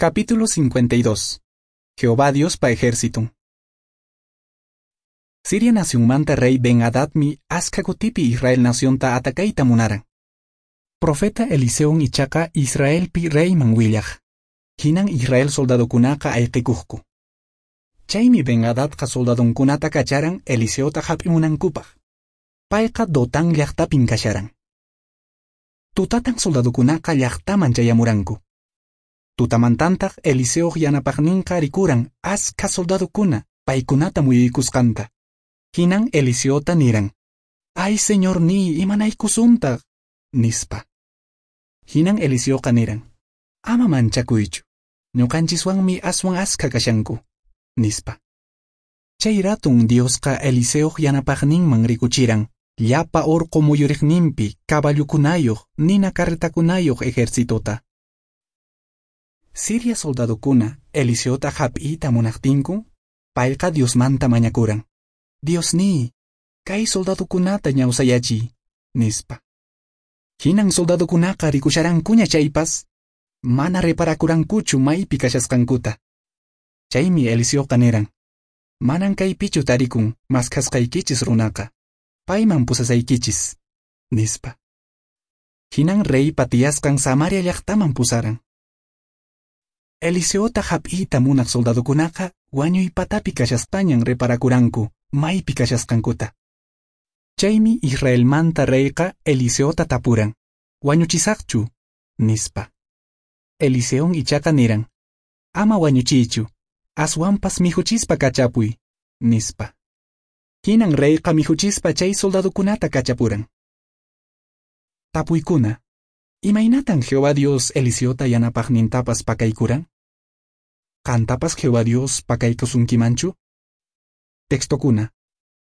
Capítulo 52. Jehová Diospa ejérciton. Siria nacionmanta rey Ben-Hadadmi askha kutipi Israel nacionta atacayta munaran. Profeta Eliseon ichaqa Israelpi reyman willaq. Hinan Israel soldadokunaqa ayqikuqku. Chaymi Ben-Hadadqa soldadonkunata kacharan Eliseota hap'imunankupaq. Payqa Dotán llaqtapin kasharan. Tutatan soldadokunaqa llaqtaman chayamuranku. Tutamantantaq Eliseoq yanapaqninqa rikuran askha soldadokuna paykunata muyuykusqanta. Hinan Eliseota niran: "Ay, señorníy, imanaykusuntaq?" nispa. Hinan Eliseoqa niran: "Ama manchakuychu, ñuqanchiswanmi aswan askha kashanku", nispa. Chay ratun Diosqa Eliseoq yanapaqninman rikuchiran llapa orqo muyuriqninpi caballukunayuq nina carretakunayuq ejercitota. Siria soldadokuna Eliseota hap'iyta munaqtinku, payqa Diosmanta mañakuran: "Diosníy, kay soldadokunata ñawsayachiy", nispa. Hinan soldadokunaqa rikusharankuña chaypas, mana reparakurankuchu maypi kashasqankuta. Chaymi Eliseoqa niran: "Manan kaypichu tarikun maskhasqaykichis runaqa, payman pusasaykichis", nispa. Hinan reypa tiyasqan Samaria llaqtaman pusaran. Eliseota hap'iyta munaq soldadokunaqa wañuy patapi kashaspañan reparakuranku maypi kashasqankuta. Chaymi Israelmanta reyqa Eliseota tapuran: "¿Wañuchisaqchu?" nispa. Eliseon ichaqa niran: "Ama wañuchiychu, aswanpas mikhuchispa kachapuy", nispa. Hinan reyqa mikhuchispa chay soldadokunata kachapuran. Tapuykuna: Imaynatan Jehová Dios Eliseota yanapaqnintapas pakaykuran? Qantapas Jehová Dios pakaykusunkimanchu? Textokuna: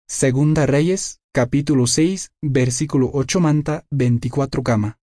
Segunda Reyes, capítulo 6, versículo 8 manta 24 kama.